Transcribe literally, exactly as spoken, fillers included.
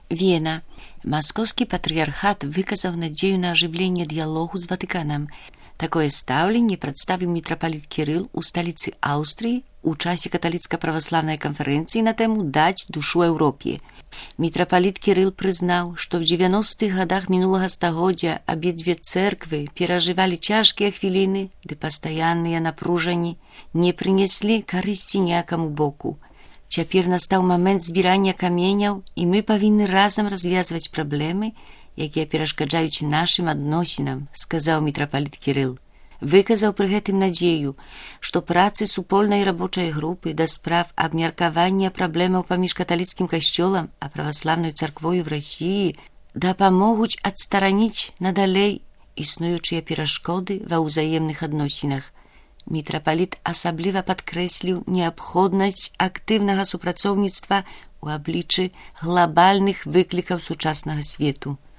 Вена. Маскоўскі патрыярхат выказаў надзею на ажыўленне дыялогу з Ватыканам. Такое стаўленне прадставіў мітрапаліт Кірыл у сталіцы Аўстрыі у часе каталіцка-праваслаўнай канферэнцыі на тэму «Даць душу Еўропе». Мітрапаліт Кірыл прызнаў, што ў дзевяностых гадах мінулага стагоддзя абедзве цэрквы перажывалі цяжкія хвіліны, ды пастаянныя напружанні не прынеслі карысці ніякаму боку. Цяпер настаў момент збірання каменяў, і мы павінны разам развязваць праблемы, якія перашкаджаюць нашым адносінам, сказаў мітрапаліт Кірыл. Выказаў пры гэтым надзею, што працы супольнай рабочай групы да справ абмеркавання праблемаў паміж каталіцкім касцёлам а праваслаўнай царквою в Расіі дапамогуць адстараніць надалей існуючыя перашкоды ва ўзаемных адносінах. Мітрапаліт асабліва падкрэсліў неабходнасць актыўнага супрацоўніцтва ў абліччы глабальных выклікаў сучаснага свету.